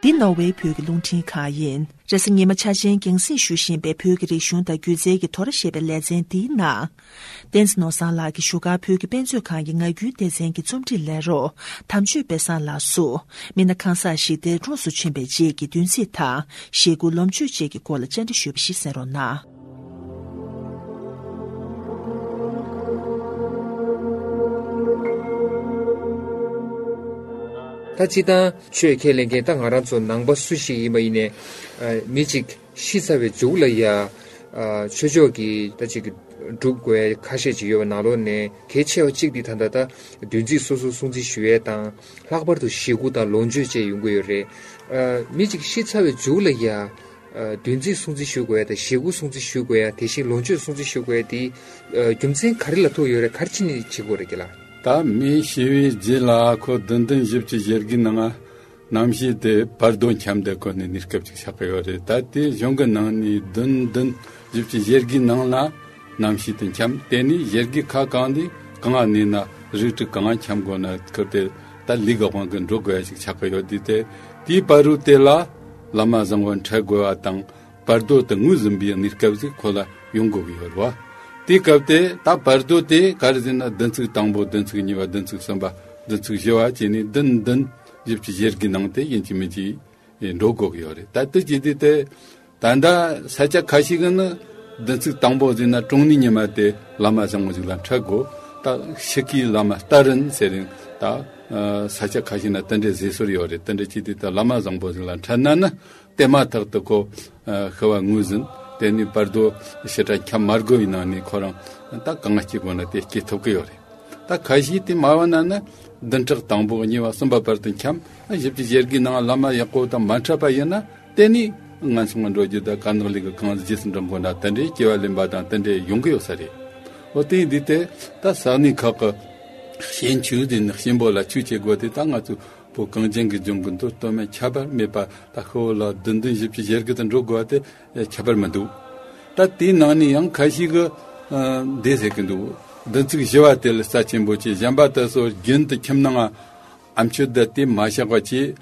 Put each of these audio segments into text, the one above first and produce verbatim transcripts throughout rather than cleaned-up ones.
འདི་ནོར་ཝེ་བོད་ཀྱི་རླུང་འཕྲིན་ཁང་ཡིན། རེས་གཟའ་ཉི་མ་ཆ་ཆེན་རྒྱང་སྲིང་ཞུ་བཞིན་པའི་བོད་ཀྱི་རིག་གཞུང་དང་སྒྱུ་རྩལ་གྱི་དོ་ར་ཞེས་པའི་ལེ་ཚན་འདིའི་ནང་། བསྟན་འཛིན་ནོར་བཟང་ལགས་ཀྱིས་བཞུགས་སྒར་བོད་ཀྱི་དཔེ་མཛོད་ཁང་གི་ངག་རྒྱུན་སྡེ་ཚན་གྱི་རྩོམ་སྒྲིག་ལས་རོགས་དམ་ཆོས་དཔལ་བཟང་ལགས་སུ། མི་སྣ་གང་ཟག་ཞིག་དེ་གྲོངས་སུ་ཕྱིན་པའི་རྗེས་ཀྱི་བདུན་ཚིགས་དང་ཞེ་དགུ་ལོ་མཆོད་བཅས་ཀྱི་སྐོར་ལ་བཅར་འདྲི་ཞུས་པ་ཞིག་གསན་རོགས་གནང་། ད་སྤྱིར་བཏང་ཆོས་ཁས་ལེན་མཁན་ད་ང་རང་ཚོ་ནང་པ་སུ་ཞིག་ཡིན་པ་ཡིན་ནའི། ཨ། མི་གཅིག་ཤི་ཚར་བའི་མཇུག་ལ་ཡ། ཨ། ཆོས་ཕྱོགས་ཀྱི་ད་ཅིག་སྒྲུབ་དགོས་ཁ་ཤས་ཅིག་ཡོད་པ་ནང་ལོགས་ནས་གལ་ཆེ་བ་གཅིག་འདི་ད་ལྟ་ད་བདུན་ཚིགས་སོ་སོ་སྲུང་བརྩི་ཞུ་ཡས་དང་། ལྷག་པར་དུ་ཞེ་དགུ་དང་ལོ་མཆོད་བཅས་ཡོང་གི་ཡོད་རེད། ཨ། མི་གཅིག་ཤི་ཚར་བའི་མཇུག་ལ་ཡ། ཨ། བདུན་ཚིགས་སྲུང་བརྩི་ཞུ་དགོས་ཡ་དང་ཞེ་དགུ་སྲུང་བརྩི་ཞུ་དགོས་ཡ་དེ་བཞིན་ལོ་མཆོད་སྲུང་བརྩི་ཞུ་དགོས་ཡ་དེ། ཨ། རྒྱུ་མཚན་ག་རེ་ལ་ཐུག་ཡོད་རེད། ག་རེ་བྱས་ནས་བྱེད་དགོས་རེད་ཀྱི་ལ། ད་མི་ཤི་བའི་རྗེས་ལ་ཁོ་བདུན་ལྡན་བཞི་བཅུ་ཞེ་དགུའི་ནང་ང་རྣམ་ཤེས་དེ་བར་དོ་འཁྱམས་ཏེ་ཁོ་ནི་གནས་སྐབས་ཅིག་ཆགས་ཀྱི་ཡོད་རེད། ད་དེ་གཞུང་གི་ནང་ནས་བདུན་ལྡན་བཞི་བཅུ་ཞེ་དགུའི་ནང་ལ་རྣམ་ཤེས་དེ་འཁྱམས། དེ་ནས་ཞེ་དགུའི་ཁ་གང་ནས་གང་ང་གནས་ན་རིགས་དྲུག་གང་ང་འཁྱམས་དགོས་ན་ཁོ་དེ་ད་ལུས་ཀྱི་དབང་གིས་འགྲོ་དགོས་ཡ་ཅིག་ཆགས་ཀྱི་ཡོད་དུས། དེ་དེའི་བར་དུ་དེ་ལ་བླ་མ་བཟང་པོ་འཕྲད་དགོས་པ་དང་། བར་དོ་དེ་ངོས་ཟིན་པའི་གནས་སྐབས་ཤིག་ཁོ་ལ་ཡོང་དགོས་ཀྱི་ཡོད་རེད་བ། དེའི་སྐབས་དེ་ད་བར་དོ་དེ་ག་རེ་ཟེར་ན། བདུན་ཚིགས་དང་པོ། བདུན་ཚིགས་གཉིས་པ། བདུན་ཚིགས་གསུམ་པ། བདུན་ཚིགས་བཞི་པ་བྱས་ནས་བདུན་བདུན་བཞི་བཅུ་ཞེ་དགུའི་ནང་དེ་ཡིན་གཅིག་མིན་གཅིག་འགྲོ་དགོས་ཀྱི་ཡོད་རེད། ད་དེ་བྱས་དུས་དེ་ད་ལྟ་ས་ཆ་ཁ་ཤས་ཀྱི་ནི་བདུན་ཚིགས་དང་པོ་ཟེར་ན་གྲོངས་ནི་ཉི་མ་དེ་བླ་མ་བཟང་པོ་ཞིག་ལ་འཕྲད་དགོས། ད་ཤི་ཁའི་བླ་མ་སྟ་རེད་ཟེར་རིང་ད་ས་ཆ་ཁ་ཤས་ན་དེ་འདྲའི་ཟེར་སྲོལ་ཡོད་རེད། དེ་འདྲ་བྱས་དུས་ད་བླ་མ་བཟང་པོ་ཞིག་ལ་འཕྲད་ན་ནི། དེ་མ་ཐག་ཏུ་ཁོ་ཤི་བ་ངོས་ཟིན། དེ་ནས་བར་དོ་ཞེ་དྲག་འཁྱམ་མ་དགོས་པའི་ནང་ནས་ཁོ་རང་ད་གང་སྐྱེ་དགོས་ན་དེ་སྐྱེ་ཐུབ་ཀྱི་ཡོད་རེད། ད་ཁ་ཤས་དེ་མ་བ་ན་ནི་བདུན་ཕྲག་དང་པོ་གཉིས་པ་གསུམ་པ་བར་དུ་འཁྱམ། བཞི་བཅུ་ཞེ་དགུའི་ནང་བླ་མ་ཡག་པོ་དང་མ་འཕྲད་པ་ཡིན་ན། དེ་ནས་ངན་སོང་ལ་འགྲོ་རྒྱུ་དང་དཀའ་ངལ་ལས་ཀྱི་གང་རྗེས་སུ་འགྲོ་དགོས་ན་དེ་འདྲའི་སྐྱེ་བ་ལེན་པ་དང་དེ་འདྲའི་ཡོང་གི་ཡོད་ས་རེད། འོ་དེ་ཡིན་དུས་དེ་ད་ས་གནས་ཁག་གི་ཤན་ཆུ་དེ་ནི་གཤིན་པོ་ལ་ཆུ་སྐྱེ་དགོས་དེ་ད་ང་ཚོ་བོད་གངས་ཅན་གྱི་ལྗོངས་ཀྱི་མདོ་སྟོད་སྨད་ཁྱད་པར་མེད་པ་ད་ཤི་བོ་ལ་བདུན་ལྡན་བཞི་བཅུ་ཞེ་དགུ་དུ་འགྲོ་དགོས་པ་དེ་ཁྱད་པར་མི་འདུག་ད་དེའི་ནང་ནས་ཡང་ཁ་ཤས་ཀྱིས་འདི་ཟེར་གྱི་འདུག་བདུན་ཚིགས་བཞི་པ་དེ་ལ་རྩ་ཆེན་པོ་བྱས། གཞན་པ་དེ་ཚོ་རྒྱུན་དུ་ཁྱིམ་ནང་ཨ་མཆོད་བརྡ་དེ་མ་བཞག་པ་བྱས།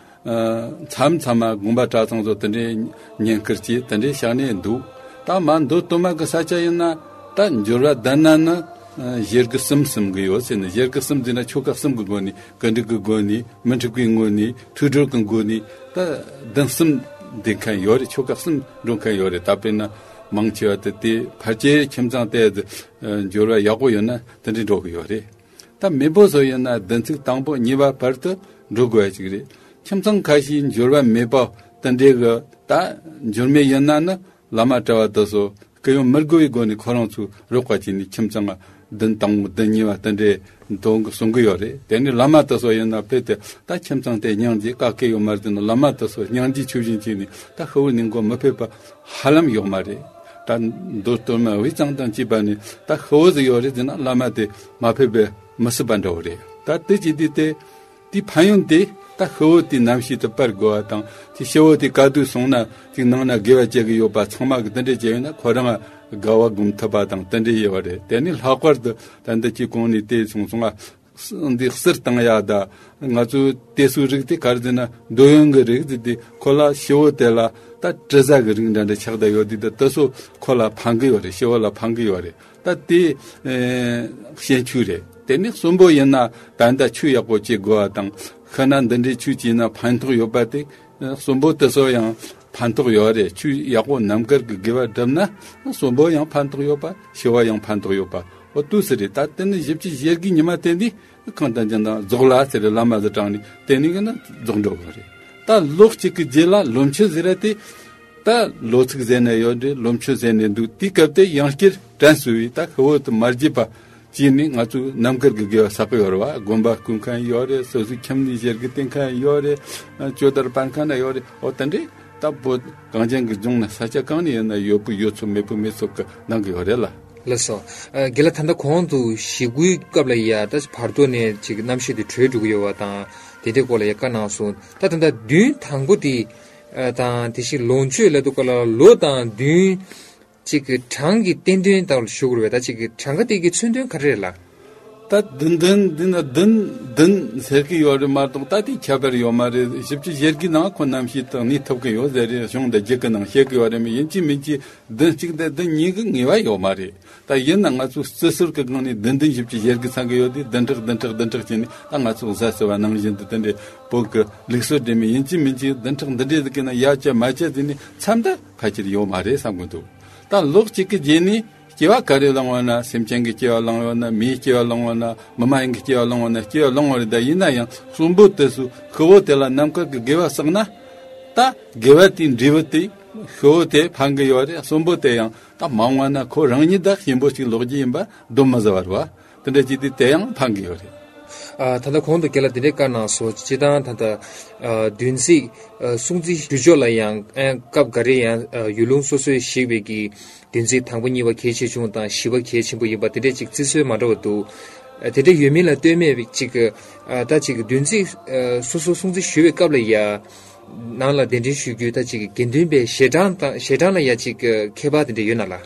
མཚམས་མཚམས་མ་དགོན་པ་གྲྭ་ཚང་ཚོ་དེ་འདྲའི་བསྙེན་བཀུར་བྱས་དེ་འདྲའི་བཞག་ནས་འདུག་ད་མ་མདོ་སྟོད་སྨད་ཀྱི་ས་ཆ་ཡིན་ན་ད་འབྱོར་བ་ལྡན་ན་ནི་ཞེ་དགུ་གསུམ་གསུམ་གྱི་ཡོད་ཟེར་ནས། ཞེ་དགུ་གསུམ་ཟེར་ན་ཆོ་ག་གསུམ་གྱི་སྒོ་ནས། གར་སྟེགས་ཀྱི་སྒོ་ནས། མི་འཁྲུགས་པའི་ངོ་ནས། ཐུགས་སྒྲུབ་ཀྱི་སྒོ་ནས། ད་བདུན་གསུམ་འདེབས་མཁན་ཡོད་རེད། ཆོ་ག་གསུམ་འགྲོ་མཁན་ཡོད་རེད། ད་དཔེར་ན་མང་ཆེ་བ་དེ་དེ་ཕལ་ཆེར་ཁྱིམ་ཚང་དེ་འབྱོར་བ་ཡག་པོ་ཡོད་ན་དེ་འདྲའི་འགྲོ་གི་ཡོད་རེད། ད་མེས་པོ་ཚོ་ཡིན་ན་བདུན་ཚིགས་དང་པོ་གཉིས་པ་བར་དུ་འགྲོ་དགོས་ཡ་ཅིག་རེད། ཁྱིམ་ཚང་ཁ་ཤས་འབྱོར་བ་མེད་པ་དེ་འདྲའི་གི་ད་འབྱོར་མེད་ཡིན་ན་ནི་བླ་མ་གྲྭ་བ་དེ་ཚོ་སྐུ་ཡོང་མི་དགོས་པའི་སྒོ་ནས་ཁོ་རང་ཚོ་རོགས་པ་བྱས་ནས་ཁྱིམ་ཚང་བདུན་དང་པོ་བདུན་གཉིས་པ་དེ་འདྲའི་འདོན་གི་གསུང་གི་ཡོད་རེད། དེ་ནས་བླ་མ་དེ་ཚོ་ཡིན་ན་ཕེབས་ཏེ་ད་ཁྱིམ་ཚང་དེ་སྙིང་རྗེ་ག་གེ་ཡོད་མ་རེད་དེ་ནི་བླ་མ་དེ་ཚོ་སྙིང་རྗེ་ཆེ་བཞིན་བྱས་ནས་ད་ཤི་བོ་ནི་མགོ་མི་ཕེབས་པ་ཧ་ལམ་ཡོད་མ་རེད། ད་མདོ་སྟོད་སྨད་དབུས་གཙང་དང་བཅས་པ་ནས་ད་ཤི་བོ་ཟིག་ཡོད་རེད་ཟེར་ན་བླ་མ་དེ་མ་ཕེབས་པའི་མི་སྲིད་པ་འདྲ་བོ་རེད། ད་དེ་བྱེད་དུས་དེ་དེའི་ཕན་ཡོན་དེ་ད་ཤི་བོ་དེའི་རྣམ་ཤེས་དེ་སྤར་དགོས་པ་དང་། དེ་ཤི་བོ་དེ་ག་དུས་སོང་ན་ཅིག་ནང་ན་དགེ་བ་བྱེད་ཀྱི་ཡོད་པ་ཚང་མ་གི་དེ་འདྲས་བྱས་ཡོད་ན་ཁོ་རང་དགའ་བ་སྒོམ་ཐུབ་པ་དང་དེ་འདྲས་ཡོད་པ་རེད། དེ་ནས་ལྷག་པར་དུ་ད་འདི་ཅིག་གོང་ནས་བལྟས་སོང་སོང་ང་། འདི་གསེར་བཏང་ཡ་ད་ང་ཚོའི་དེ་ཚོའི་རིགས་དེ་ག་རེ་ཟེར་ན་འདོད་ཡོན་གྱི་རིགས་ཟེར་དེ་ཁོ་ལ་ཤི་བོ་དེ་ལ་ད་དྲི་ཟ་གི་རིགས་འདྲ་འདྲ་ཆགས་བསྡད་ཡོད་དུས་ད་དེ་ཚོ་ཁོ་ལ་ཕན་གི་ཡོད་རེད། ཤི་བོ་ལ་ཕན་གི་ཡོད་རེད། ད་དེ་ཨེ་ཤན་ཆུ་རེད། དེ་ནས་གསོན་པོ་ཡིན་ན་ད་ལྟ་ཆུ་ཡག་པོ་སྐྱེ་དགོས་པ་དང་། ཤི་ན་འདི་འདྲའི་ཆུ་སྐྱེས་ན་ཕན་ཐོགས་ཡོད་པ་དེ་གསོན་པོ་དེ་ཚོ་ཡང་ཕན་ཐོགས་ཡོད་རེད། ཆུ་ཡག་པོ་རྣམ་དཀར་གྱི་དགེ་བ་བསྒྲུབས་ན་གསོན་པོ་ཡང་ཕན་ཐོགས་ཡོད་པ། ཤི་བ་ཡང་ཕན་ཐོགས་ཡོད་པ། འོ་དུས་སུ་རེད། ད་དེ་ནི་བཞི་བཅུ་ཞེ་དགུའི་ཉི་མ་དེ་འདི་གང་ལྟར་ཅན་དང་རྫོགས་ལ་ཟེར་རེད། བླ་མ་ཟེར་དྲངས་ནས་དེ་ནི་གི་ན་རྫོགས་འགྲོ་གི་རེད། ད་ལོ་གཅིག་གི་རྗེས་ལ་ལོ་མཆོད་ཟེར་ར་དེ། ད་ལོ་ཚིགས་ཟེར་ནས་ཡོད་རེད། ལོ་མཆོད་ཟེར་ནས་འདུག་དེའི་སྐབས་དེ་ཡང་བསྐྱར་དྲན་གསོ་བའི་ད་ཤི་བོ་དེ་མ་བརྗེད་པ་བྱས་ནས་ང་ཚོས་རྣམ་དཀར་གྱི་དགེ་བ་བསགས་ཀྱི་ཡོད་རེད་བ། དགོན་པ་སྐུ་མཁན་ཡོད་རེད། སོ་སོའི་ཁྱིམ་ནས་ཞལ་གྱིས་བསྟན་མཁན་ཡོད་རེད། ཇོ་དར་སྤར་མཁན་ན་ཡོད་རེད། འོ་དེ་འདྲས་ད་བོད་གངས་ཅན་གྱི་ལྗོངས་ན་ས་ཆ་གང་ནས་ཡིན་ན་ཡོད་པོ་ཡོད་ཚོད་མེད་པོ་མེད་ཚོད་ཀྱི་གནང་གི་ཡོད་རེད་ལ། ལགས་སོ། ཨ། རྒན་ལགས་ད་ལྟ་གོང་དུ་ཞེ་དགུའི་སྐབས་ལ་ཡ་ད་བར་དོ་ནས་ཅིག་རྣམ་ཤེས་དེ་གྲོལ་འགྲོ་གི་ཡོད་པ་དང་དེ་འདྲའི་སྐོར་ལ་ཡ་བཀའ་གནང་སོང་། ད་ད་ལྟ་བདུན་དང་པོ་དེ། ཨ། དང་དེ་བཞིན་ལོངས་སྤྱོད་ལབ་དུས་སྐབས་ལ་ལོ་དང་བདུན་ཅིག་གི་གྲངས་ཀྱི་བསྟན་དོན་ལྟ་བུ་ཞུ་དགོས་རེད་པས། ད་ཅིག་གི་གྲངས་ཀ་དེ་གི་མཚོན་དོན་ག་རེ་རེད་ལགས། ད་བདུན་བདུན་འདི་ན་བདུན་བདུན་ཟེར་གི་ཡོད་རེད་མ་གཏོགས། ད་དེ་ཁྱད་པར་ཡོད་མ་རེད། བཞི་བཅུ་ཞེ་དགུའི་ནང་ཁོ་རྣམ་ཤེས་དང་གནས་ཐུབ་གི་ཡོད་ཟེར་རེད། གཞུང་དང་རྒྱུད་ཀྱི་ནང་བཤད་གི་ཡོད་རེད། མི་ཡིན་གཅིག་མིན་གཅིག་བདུན་གཅིག་དང་བདུན་གཉིས་ཀྱི་ངེས་པ་ཡོད་མ་རེད། ད་ཡིན་ན་ང་ཚོ་རྩི་སྲོལ་གྱི་སྒང་ནས་བདུན་བདུན་བཞི་བཅུ་ཞེ་དགུ་ཚང་གི་ཡོད་དེ། བདུན་ཕྲག་བདུན་ཕྲག་བདུན་ཕྲག་བྱས་ནས། ད་ང་ཚོ་གཟའ་ཟེར་བ་ནང་བཞིན་དུ་དེ་འདྲའི་བོད་ཀྱི་ལུགས་སྲོལ་འདྲ་མི་ཡིན་གཅིག་མིན་གཅིག་བདུན་ཕྲག་འདི་འདྲའི་ཟིག་གི་ནང་ཡ་བཅད་མ་བཅད་ཟེར་ནས་མཚམས་ད་ཕལ་ཆེར་ཡོད་མ་རེད་བསམ་གི་འདུག་ད་ལོ་གཅིག་གི་རྗེས་ནས་སྐྱེ་བ་ག་རེ་བླངས་ཡོད་ན། སེམས་ཅན་གྱི་སྐྱེ་བ་བླངས་ཡོད་ན། མིའི་སྐྱེ་བ་བླངས་ཡོད་ན། མི་མ་ཡིན་གྱི་སྐྱེ་བ་བླངས་ཡོད་ན། སྐྱེ་བ་བླངས་ཡོད་རེད། ད་ཡིན་ན་ཡང་གསོན་པོ་དེ་ཚོ་ཤི་བོ་དེ་ལ་རྣམ་དཀར་གྱི་དགེ་བ་བསགས་ན། ད་དགེ་བ་དེའི་འབྲས་བུ་དེ་ཤི་བོ་དེ་ཕན་གི་ཡོད་རེད། གསོན་པོ་དེ་ཡང་ད་མ་འོངས་ན་ཁོ་རང་ཉིད་ད་གཤིན་པོ་ཞིག་ལོག་རྒྱུ་ཡིན་པ་གདོན་མི་ཟ་བ་རེད་བ། དེ་འདྲ་བྱས་དུས་དེ་ཡང་ཕན་གི་ཡོད་རེད། ཨ། ད་ལྟ་གོང་དུ་རྒན་ལགས་དེ་འདྲའི་བཀའ་གནང་སོང་། སྤྱིར་བཏང་ད་ལྟ་ཨ་བདུན་ཚིགས་ཨ་སྲུང་བརྩི་ཞུ་ཕྱོགས་ལ་ཡང་ཨ་སྐབས་འགའ་རེ་ཡང་ཨ་ཡུལ་ལུང་སོ་སོའི་ཞིག་པའི་གི་བདུན་ཚིགས་དང་པོ་གཉིས་པ་གལ་ཆེ་ཆུང་དང་བཞི་པ་གལ་ཆེན་པོ་ཡིན་པ་དེ་འདྲའི་ཅིག་བརྩི་སྲོལ་མ་འདྲ་བ་འདུག་ཨ་དེ་འདྲ་ཡོད་མིན་ལ་ལྟོས་མེད་ཅིག་ཨ་ད་ཅིག་བདུན་ཚིགས་ཨ་སོ་སོ་སྲུང་བརྩི་ཞུ་བའི་སྐབས་ལ་ཡ། ནང་ལ་གདན་འདྲེན་ཞུ་རྒྱུ་ད་ཅིག་དགེ་འདུན་པའི་ཞལ་གྲངས་དང་ཞལ་གྲངས་ལ་ཡ་ཅིག་ཁྱད་པར་དེ་འདྲ་ཡོད་ན་ལགས།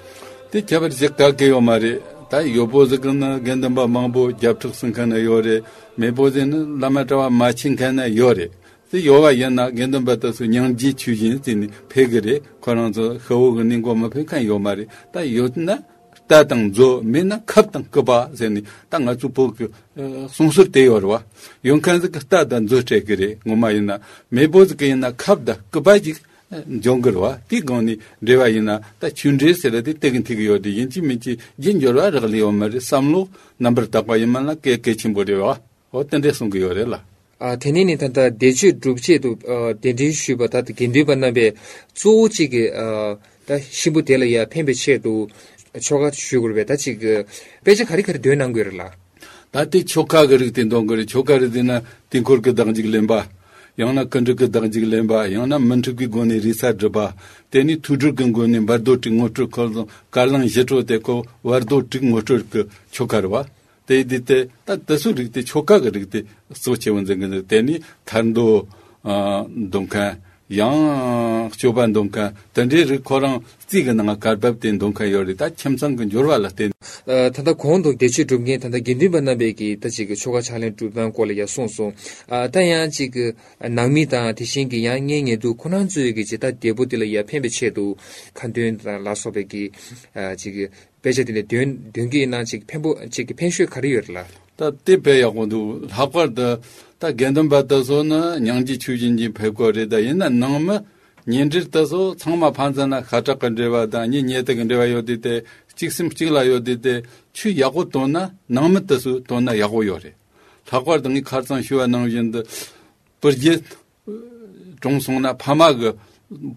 དེ་ཁྱད་པར་ཞིག་ག་གེ་ཡོད་མ་རེད། ད་ཡོད་པོ་ཟིག་གི་ནི་དགེ་འདུན་པ་མང་པོ་བརྒྱ་ཕྲག་ཟིན་མཁན་ན་ཡོད་རེད། མེད་པོ་ཟིག་ནི་བླ་མ་གྲྭ་བ་མ་ཕྱིན་མཁན་ན་ཡོད་རེད། དེ་ཡོད་པ་ཡིན་ན་དགེ་འདུན་པ་དེ་ཚོ་སྙིང་རྗེ་ཆོས་བཞིན་བརྩིས་ནས་ཕེབས་གི་རེད། ཁོ་རང་ཚོ་ཤི་བོ་གི་གནས་མགོ་མི་ཕེབས་མཁན་ཡོད་མ་རེད། ད་ཡོད་ན། རྟ་དང་མཛོ། མེད་ན་ཁབ་དང་སྐུད་པ་ཟེར་ནས། ད་ང་ཚོ་བོད་ཀྱི་ཨ་གསུང་སྲོལ་དེ་ཡོད་རེད་བ། ཡོད་མཁན་ཟིག་གི་རྟ་དང་མཛོ་སྤྲད་གི་རེད། ངོ་མ་ཡིན་ན་མེད་པོ་ཟིག་གི་ཡིན་ན་ཁབ་དང་སྐུད་པ་ཅིག་འབྱུང་གི་རེད་བ། དེའི་སྒང་ནས་འབྲེལ་བ་ཡིན་ན་ད་ཆོས་འབྲེལ་ཟེར་ར་དེ་དེ་གི་འཐུས་གི་ཡོད་དེ། ཡིན་གཅིག་མིན་གཅིག་རྒྱུ་འབྱོར་བ་རག་ལས་ཡོད་མ་རེད། བསམ་བློ་རྣམ་པར་དག་པ་ཡིན་མིན་ལ་གལ་གལ་ཆེན་པོ་རེད་བ། འོ་དེ་འདྲས་གསུང་གི་ཡོད་རེད་ལ། ཨ། དེ་ནས་ནི་ད་ལྟ་བཟླས་བརྗོད་སྒྲུབ་ཆེད་དུ་ཨ་གདན་འདྲེན་ཞུས་པ་ད་དགེ་འདུན་པ་རྣམ་པས་གཙོ་བོ་གཅིག་གི་ཨ་ད་གཤིན་པོ་དེ་ལ་ཡ་ཕན་པའི་ཆེད་དུ་ཆོ་ག་ཞུ་དགོས་པས། ད་ཅིག་དཔེ་ཆ་ག་རེ་ག་རེ་འདོན་གནང་དགོས་རེད་ལ། ད་དེ་ཆོ་ག་གི་རིགས་དེ་འདོན་དགོས་རེད། ཆོ་ག་རིགས་དེ་ན་དུས་འཁོར་གྱི་བདག་འཇུག་ལེན་པ། ཡང་ན་ཀུན་འགྲོ་གི་བདག་འཇུག་ལེན་པ། ཡང་ན་མི་འཁྲུགས་པའི་སྒོ་ནས་རེ་ས་སྒྲུབ་པ། དེ་ནས་ཐུགས་སྒྲུབ་ཀྱི་སྒོ་ནས་བར་དོ་དྲུག་ངོ་སྤྲོད་འཁོར་ལོ་བཀའ་གླང་བཞི་སྤྲོ་དེ་ཁོ་བར་དོ་དྲུག་ངོ་སྤྲོད་ཀྱི་ཆོ་ག་རེད་བ། དེ་དེ་དེ་ད་དེ་ཚོའི་རིགས་དེ་ཆོ་ག་གི་རིགས་དེ་གཙོ་ཆེ་བོ་འཛིན་གི་འདུག་དེ་ནས་ཐར་འདོད། ཨ། འདོན་མཁན། ཡང་སྤྱོད་པ་འདོན་མཁན། དེ་འདྲའི་རིགས་ཁོ་རང་རྩིས་ཀྱི་ནང་གར་བབས་ཏེ་འདོན་མཁན་ཡོད་རེད། ད་ཁྱིམ་ཚང་གི་འབྱོར་བ་ལ་བརྟེན། ཨ། ད་ལྟ་གོང་དུ་བཟླས་བརྗོད་སྒྲུབ་མཁན་ད་ལྟ་དགེ་འདུན་པ་རྣམ་པས་ཀྱིས་ད་ཅིག་གི་ཆོ་ག་ཕྱག་ལེན་སྒྲུབ་སྟངས་སྐོར་ལ་ཡང་གསུངས་སོང་། ཨ། ད་ཡང་ཅིག་གི་ནང་མི་དང་དེ་བཞིན་གྱི་ཡང་གཉེན་ཉེ་དུ་ཁོ་རང་ཚོས་ཀྱི་ཇི་ལྟར་བདེ་པོ་དེ་ལ་ཡང་ཕན་པའི་ཆེད་དུ་ཁ་འདོན་དང་ལ་སོགས་པའི་གི་ཨ་ཅིག་གི་དཔེ་ཆ་དེ་ནས་འདོན་འདོན་གྱི་ཡིན་ན་ཅིག་ཕན་པོ་ཅིག་གི་ཕན་ཤོས་ག་རེ་ཡོད་རེད་ལ། ད་དེ་དཔེ་ཡག་པོ་འདུག་ལྷག་པར་དུ་ད་དགེ་འདུན་པ་དེ་ཚོ་ནི་སྙིང་རྗེ་ཆོས་བཞིན་གྱི་ཕེབས་སྐོར་རེད། ད་ཡིན་ན་ནང་མི་ཉེ་འབྲེལ་དེ་ཚོ་ཚང་མ་ཕན་ཚུན་ན་ཤ་ཁྲག་གི་འབྲེལ་བ་དང་གཉེན་ཉེ་དུ་གི་འབྲེལ་བ་ཡོད་དུས་དེ། གཅིག་སེམས་གཅིག་ལ་ཡོད་དུས་དེ། ཆོས་ཡག་པོ་བཏོན་ན་ནང་མི་དེ་ཚོས་བཏོན་ན་ཡག་པོ་ཡོད་རེད། ལྷག་པར་དུ་ངས་ཁ་སང་ཞུས་པ་ནང་བཞིན་དུ། བུ་རྒྱུད་གྲོངས་སོང་ན་ཕ་མ་གི་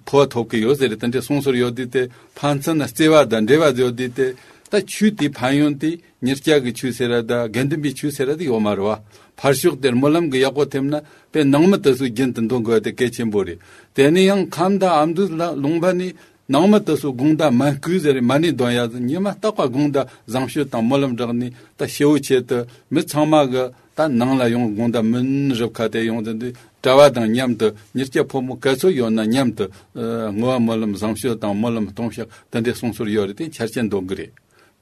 ཕོ་ཐོབ་ཀྱི་ཡོད་ཟེར་རེད། དེ་འདྲའི་གསུང་སྲོལ་ཡོད་དུས་དེ། ཕན་ཚུན་ན་བརྩེ་བ་དང་འབྲེལ་བ་ཡོད་དུས་དེ། ད་ཆོས་དེའི་ཕན་ཡོན་དེ་མྱི་སྐྱ་གི་ཆོས་ཟེར་ར་དང་དགེ་འདུན་པའི་ཆོས་ཟེར་ར་དེ་ཡོད་མ་རེད་བ། ཕར་ཕྱོགས་དེར་སྨོན་ལམ་གྱི་ཡག་པོ་ཐེབས་ན་དཔེ་ནང་མི་དེ་ཚོ་རྒྱུན་དུ་འདོན་དགོས་དེ་གལ་ཆེན་པོ་རེད། དེ་ནས་ཡང་ཁམས་དང་ཨ་མདོ་ལ་ལུང་པ་ནས། ནང་མི་དེ་ཚོ་དགོང་དག་མ་བསྐུལ་ཟེར་རེད། མ་ཎི་འདོན་ཡ་ཟེར། ཉི་མ་རྟག་པར་དགོང་དག་བཟང་སྤྱོད་དང་སྨོན་ལམ་བསྒྲགས་ནས། ད་ཤི་བོ་ཆེད་དུ་མི་ཚང་མ་གི་ད་ནང་ལ་ཡོང་། དགོང་དག་མུན་རུབ་ཁ་དེ་ཡོང་ཟེར་དུས། གྲྭ་བ་དང་མཉམ་དུ་མྱི་སྐྱ་ཕོ་མོ་ག་ཚོད་ཡོད་ན་མཉམ་དུ་ཨ་བསྔོ་བ་སྨོན་ལམ་བཟང་སྤྱོད་དང་སྨོན་ལམ་སྟོང་བཤགས་དེ་འདྲའི་གསུང་སྲོལ་ཡོད་རེད། དེ་འཆར་ཅན་འདོན་གི་རེད།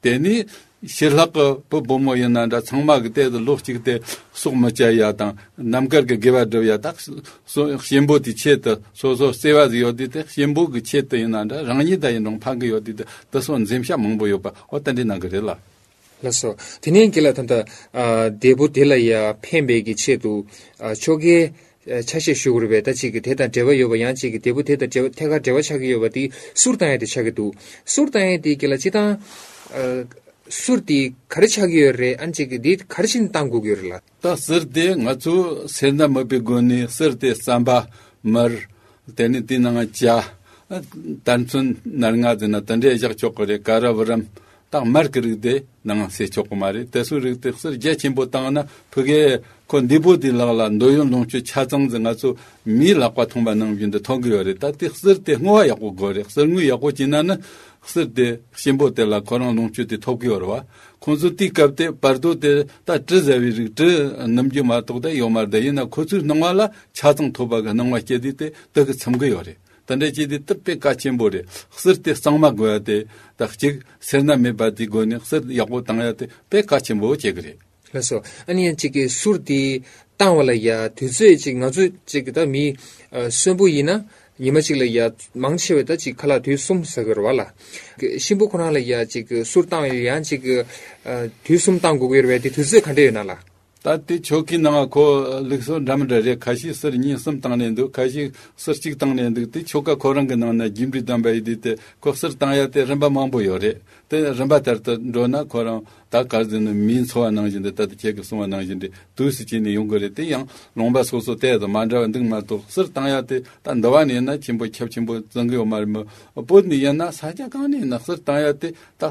དེ་ནས་ཕྱི་ལྷག་གི་བུ་བུ་མོ་ཡིན་ན་འདྲ། ཚང་མ་གི་དེ་ལོ་གཅིག་དེ་སྲོག་མི་བཅད་ཡ་དང་། རྣམ་དཀར་གི་དགེ་བ་སྒྲུབ་ཡ་དང་། སོ་གཤིན་པོ་དེའི་ཆེད་དུ་སོ་སོ་བརྩེ་བ་ཟིག་ཡོད་དུས་དེ། གཤིན་པོ་གི་ཆེད་དུ་ཡིན་ན་འདྲ། རང་ཉིད་ད་ཡིན་རུང་ཕན་གི་ཡོད་དུས་དེ། དེ་སོགས་འཛེམ་བྱ་མང་པོ་ཡོད་པ། འོ་དེ་འདྲའི་གནང་གི་རེད་ལ། ལགས་སོ། དེ་ནས་རྒན་ལགས་ད་ལྟ་ཨ་བདེ་པོ་དེ་ལ་ཡ་ཕན་པའི་གི་ཆེད་དུ་ཨ་ཆོ་གའི་ཆ་ཤས་ཞུ་དགོས་རེད་པས། ད་ཅིག་གི་དེ་དང་འབྲེལ་བ་ཡོད་པ། ཡང་ཅིག་གི་བདེ་པོ་དེ་དང་འབྲེལ་བ་ཐད་ཀར་འབྲེལ་བ་ཆགས་ཀྱི་ཡོད་པ་དེ་གསུར་བཏང་ཡ་དེ་ཆགས་ཀྱི་འདུག་གསུར་བཏང་ཡ་དེ་གི་ལ་སྤྱིར་བཏང་ཨ་གསུར་དེ་ག་རེ་ཆགས་ཀྱི་ཡོད་རེད། ཨ་ནི་ཅིག་གི་དེ་ག་རེ་བྱས་ནས་བཏང་དགོས་ཀྱི་ཡོད་རེད་ལ། ད་གསུར་དེ་ང་ཚོ་སེར་སྣ་མིད་པའི་སྒོ་ནས་གསུར་དེ་རྩམ་པ། མར། དེ་ནས་དེའི་ནང་ཇ། དར་ཚོན་སྣ་ལྔ་ཟེར་ན་དེ་འདྲས་བཞག་ཆོག་གི་རེད། ཀ་ར་བུ་རམ། ད་མར་གི་རིགས་དེ་ནང་བསྲེས་ཆོག་གི་མ་རེད། དེ་ཚོའི་རིགས་དེ་གསུར་རྒྱ་ཆེན་པོ་བཏང་ན། ཕ་གིར་ཁོ་འདི་པོ་དེ་ལག་ལ་འདོད་ཡོན་ལོངས་སྤྱོད་ཆ་ཚང་ཟིག་ང་ཚོ་མིའི་ལག་པ་ཐོན་པ་ནང་བཞིན་དུ་ཐོན་གི་ཡོད་རེད། ད་དེ་གསུར་དེ་བསྔོ་བ་ཡག་པོ་དགོས་རེད། གསུར་བསྔོ་ཡག་པོ་བྱས་ན་ནི་གསུར་དེ་གཤིན་པོ་དེ་ལ་ཁོ་རང་ལོངས་སྤྱོད་དེ་ཐོབ་གི་ཡོད་རེད་བ། ཁོང་ཚོ་དེའི་སྐབས་དེ་བར་དོ་དེ་ད་དྲི་ཟ་བའི་རིགས། དྲི་སྣུམ་རྒྱུ་མ་གཏོགས་ད་ཡོད་མ་རེད། ད་ཡིན་ན་ཁོ་ཚོའི་སྣང་བ་ལ་ཆ་ཚང་ཐོབ་པ་གི་སྣང་བ་སྐྱེ་དུས་དེ་དེ་གི་འཚམ་གི་ཡོད་རེད། དེ་འདྲ་བྱས་དུས་དེ་དཔེ་གལ་ཆེན་པོ་རེད། གསུར་དེ་གཙང་མ་དགོས་ཡ་དེ། ད་གཅིག་སེར་སྣ་མེད་པ་དེའི་སྒོ་ནས་གསུར་ཡག་པོ་བཏང་ཡ་དེ་དཔེ་གལ་ཆེན་པོ་བྱེད་གི་རེད། ལགས་སོ། ཨ་ནི་ཡང་གཅིག་གི་གསུར་དེ་བཏང་བ་ལ་ཡ་དུས་ཚོད་ཅིག་ང་ཚོ་གཅིག་གི་ད་མི་ཨ་གསོན་པོ་ཡིན་ན་ཉི་མ་གཅིག་ལ་ཡ་མང་ཆེ་བས་ད་ཅིག་ཁ་ལག་དུས་གསུམ་ཟ་གི་རེད་བ་ལ། གི་གཤིན་པོ་ཁོ་རང་ལ་ཡ་གཅིག་གི་གསུར་བཏང་བ་ཡང་གཅིག་གི་ཨ་དུས་གསུམ་བཏང་དགོས་ཀྱི་རེད་བས། དེ་དུས་ཚོད་ག་འདྲ་ཡོད་ན་ལ། ད་དེ་ཆོ་གའི་ནང་ཁོ་ལུགས་སྲོལ་འདྲ་མི་འདྲ་རེད། ཁ་ཤས་གསུར་ཉིན་གསུམ་བཏང་ནས་འདུག་ཁ་ཤས་གསུར་གཅིག་བཏང་ནས་འདུག་དེ་ཆོ་ག་ཁོ་རང་གི་ནང་ན་རྒྱས་འབྲས་ལྡན་པ་ཡིན་དུས་དེ་ཁོ་གསུར་བཏང་ཡ་དེ་རིམ་པ་མང་པོ་ཡོད་རེད། དེ་རིམ་པ་ལྟར་དུ་འགྲོ་ན་ཁོ་རང་ད་གར་ཟིན་ནི་མིའི་འཚོ་བ་ནང་བཞིན་དུ་ད་ལྟ་ཁྱེད་ཀྱིས་གསུངས་པ་ནང་བཞིན་དུ་དུས་སུ་བྱས་ནས་ཡོང་གི་རེད། དེ་ཡང་ལུང་པ་སོ་སོ་དེ་དང་མ་འདྲ་བ་འདུག་མ་གཏོགས་གསུར་བཏང་ཡ་དེ་ད་འདི་བ་ནས་ཡིན་ན་ཆེན་པོ་ཁྱབ་ཆེན་པོ་བརྩི་གི་ཡོད་མ་རེད་མོད། བོད་ནས་ཡིན་ན་ས་ཆ་གང་ནས་ཡིན་ན་གསུར་བཏང་ཡ་དེ་ད་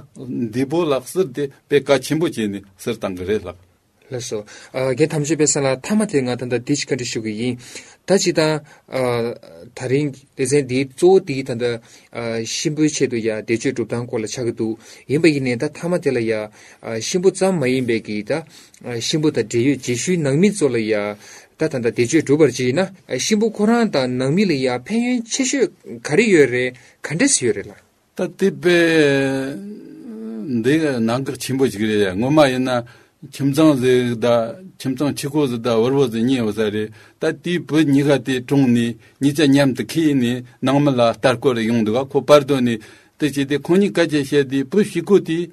འདས་པོ་ལ་གསུར་དེ་དཔེ་གལ་ཆེན་པོ་བྱས་ནས་གསུར་བཏང་གི་རེད་ལགས། ལགས་སོ། ཨ་རྒན་དམ་ཆོས་དཔལ་བཟང་ལགས། མཐའ་མ་དེ་ང་ད་ལྟ་འདི་ཅིག་བཀའ་འདྲི་ཞུ་གི་ཡིན། ད་ཅི་ད་ཨ་ད་རིང་སྡེ་ཚན་འདིའི་གཙོ་བོ་དེ་ད་ལྟ་ཨ་གཤིན་པོའི་ཆེད་དུ་ཡ་བཟླས་བརྗོད་སྒྲུབ་སྟངས་སྐོར་ལ་ཆགས་ཀྱི་འདུག་ཡིན་པ་ཡིན་ནའི་ད་མཐའ་མ་དེ་ལ་ཡ་ཨ་གཤིན་པོ་ཙམ་མ་ཡིན་པའི་གི་ད་ཨ་གཤིན་པོ་དང་འབྲེལ་ཡོད་རྗེས་ཤུལ་ནང་མི་ཚོ་ལ་ཡ་ད་ད་ལྟ་བཟླས་བརྗོད་སྒྲུབ་པར་བྱས་ན་ཨ་གཤིན་པོ་ཁོ་རང་དང་ནང་མི་ལ་ཡ་ཕན་ཡོན་ཆེ་ཤོས་ག་རེ་ཡོད་རེད། ག་འདྲས་ཡོད་རེད་ལགས། ད་དེ་དཔེ་འདི་གནད་འགག་ཆེན་པོ་ཞིག་རེད། ངོ་མ་ཡིན་ན་ཁྱིམ་ཚང་ཟིག་དང་ཁྱིམ་ཚང་ཕྱུག་པོ་ཟིག་དང་དབུལ་བོ་ཟིག་གཉིས་ཡོད་ས་རེད། ད་དེའི་བུ་གཉིས་ཀ་དེ་གྲོངས་ནས་གཉིས་ཆ་མཉམ་དུ་ཁྱེར་ནས་ནང་མི་ལ་ལྟ་སྐོར་ཡོང་འདུག་ག་ཁོ་བར་དོ་ནས་དེ་བྱས་ཏེ་ཁོ་གཉིས་སྐད་ཆ་བཤད་དུས་བུ་ཕྱུག་པོ་དེས་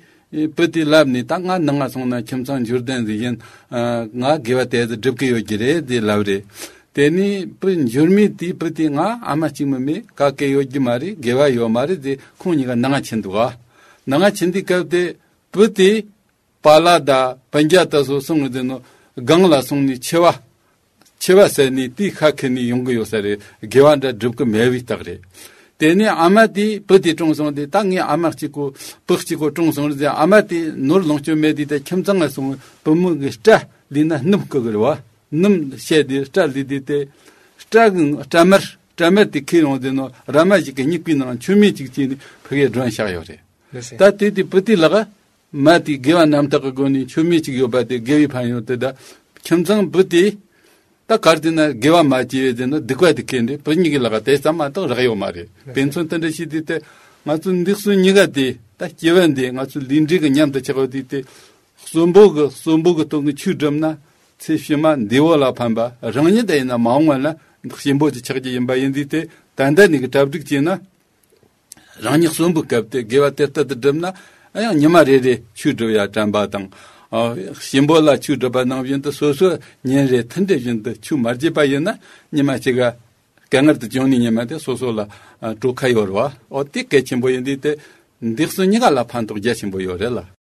བུ་དེ་ལབ་ནས། ད་ང་ནང་ང་སོང་ན་ཁྱིམ་ཚང་འབྱོར་ལྡན་ཟིག་ཡིན། ང་དགེ་བ་དེ་ཚོ་སྒྲུབ་གི་ཡོད་ཀྱི་རེད་ཟེར་ལབ་རེད། དེ་ནས་བུ་འབྱོར་མེད་དེས་བུ་དེ་ང་ཨ་མ་གཅིག་མིན་མེད་ག་གེ་ཡོད་ཀྱི་མ་རེད། དགེ་བ་ཡོད་མ་རེད་ཟེར་ཁོང་གཉིས་ཀ་ནང་ང་ཕྱིན་འདུག་ག་ནང་ང་ཕྱིན་དུས་སྐབས་དེ་བུ་དེ་པཱ་ལགས་དང་སྤུན་ཀྱག་དེ་ཚོ་སོང་ངི་ཟེར་ནོ་སྒང་ལ་སོང་ནས་འཆི་བ་འཆི་བ་ཟེར་ནས་དེའི་ཁ་ཁེར་ནས་ཡོང་གི་ཡོད་ས་རེད། དགེ་བ་འདྲ་སྒྲུབ་གི་མེད་པའི་རྟགས་རེད། དེ་ནས་ཨ་མ་དེས་བུ་དེ་གྲོངས་སོང་དུས། ད་ངའི་ཨ་མ་གཅིག་པོ་བུ་གཅིག་པོ་གྲོངས་སོང་རེད་ཟེར། ཨ་མ་དེ་ནོར་ལོངས་སྤྱོད་མེད་དུས་ད་ཁྱིམ་ཚང་ང་སོང་བུ་མོ་གི་སྐྲ་ལུས་ན་སྣུམ་བསྐུ་གི་རེད་བ། སྣུམ་བཤད་དེ་སྐྲ་ལུས་དུས་དེ་སྐྲ་གི་སྐྲ་དམར་སྐྲ་དམར་དེ་ཁྱེར་ཡོང་ཟེར་ནོ་ར་མ་ཞིག་གི་སྨྱུ་གུའི་ནང་མཆོད་མེ་གཅིག་བྱས་ནས་ཕ་གིར་སྒྲོན་བཞག་ཡོད་རེད། ལགས་སོ། ད་དེ་དེ་བུ་དེ་ལག་མ་དེ་དགེ་བ་རྣམ་དག་གི་སྒོ་ནས་མཆོད་མེ་གཅིག་ཡོད་པ་དེ་དགེ་བའི་ཕན་ཡོན་དེ། ད་ཁྱིམ་ཚང་བུ་དེ་ད་གར་དེ་ན་དགེ་བ་མ་བྱས་པའི་དེ་ན་སྡིག་པ་དེ་ཁེལ་འདྲ། བུ་གཉིས་ཀྱི་ལག་དེ་ཙམ་མ་གཏོགས་རག་ཡོད་མ་རེད། དཔེ་མཚོན་དེ་འདྲ་ཞིག་དེ་དེ་ང་ཚོ་འདི་གསུམ་གཉིས་ཀ་དེ་ད་སྐྱེ་བ་འདི་ང་ཚོ་ལུས་འབྲེལ་གྱི་མཉམ་དུ་ཆགས་པ་དེ་དེ་གསོན་པོ་གི་གསོན་པོ་གི་སྟེང་གི་ཆོས་བསྒྲུབས་ན་ཚེ་ཕྱི་མ་འདས་པོ་ལ་ཕན་པ། རང་ཉིད་དེ་ཡིན་ན་མ་འོངས་པ་ན་གཤིན་པོ་དེ་ཆགས་ཀྱི་ཡིན་པ་ཡིན་དུས་དེ་ད་ལྟ་ནས་གི་གྲ་སྒྲིག་བྱས་ན། རང་ཉིད་གསོན་པོའི་སྐབས་དེ་དགེ་བ་དེ་ལྟར་དུ་བསྒྲུབས་ན། ཡང་ཉི་མ་རེ་རེ་ཆོས་སྒྲུབ་ཡ་དྲན་པ་དང་། ཨ་གཤིན་པོ་ལ་ཆོས་སྒྲུབ་པ་ནང་བཞིན་དུ་སོ་སོ་ཉིན་རེ་ཐུན་དྲེ་བཞིན་དུ་ཆོས་མ་བརྗེད་པ་ཡིན་ན་ཉི་མ་གཅིག་ག་དཀའ་ངལ་དུ་བྱུང་ནས་ཉི་མ་དེ་སོ་སོ་ལ་ཨ་གྲོལ་ཁ་ཡོད་རེད་བ། ཨོ་དེ་གལ་ཆེན་པོ་ཡིན་དུས་དེ་འདི་གསུམ་གཉིས་ཀ་ལ་ཕན་ཐོགས་རྒྱ་ཆེན་པོ་ཡོད་རེད་ལ།